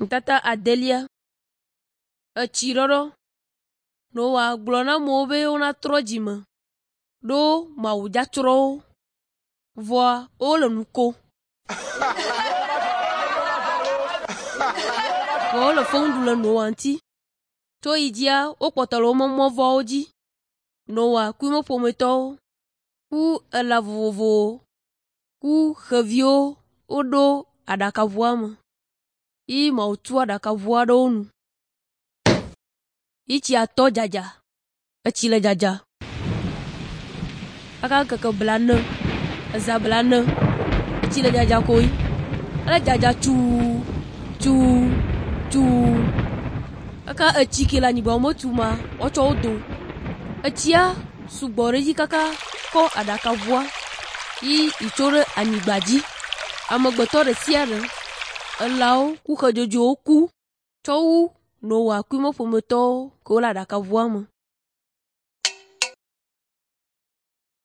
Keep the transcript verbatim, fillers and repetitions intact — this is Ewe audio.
Nutata adelia. Etsiɖɔɖɔ. Noa gblɔ na amewo be wonatrɔ dzime ɖo Mawu dzatsrɔ̃ wo. Vɔa wole nu kom. Vɔ wole fewu ɖum le Noa ŋuti. Tso yi dzia wokpɔtɔ le woƒe mɔ vɔ̃wo dzi. Noa ku eƒe ƒometɔwo ku elã vovovowo ku xeviwo woɖo aɖakaʋua me yi Mawu tu aɖakaʋua ɖe wo nu. Yi tsia tɔ dzadza. Etsi le dzadza. Kaka ŋkeke blane, eza blane, etsi le dzadza koe. Ele dzadza tsuu, tsuu, tsuu. Kaka etsi ke le anyigba wometu ma, woatsɔ wo do. Etsia sugbɔ ɖe edzi kaka kɔ aɖakaʋua yi itso ɖe anyigba dzi. Amegbetɔ ɖe sia ɖe, elãwo ku xe dzodzoewo ku tsɔ wu Noa ku eƒe ƒometɔwo kewo le aɖakaʋua me.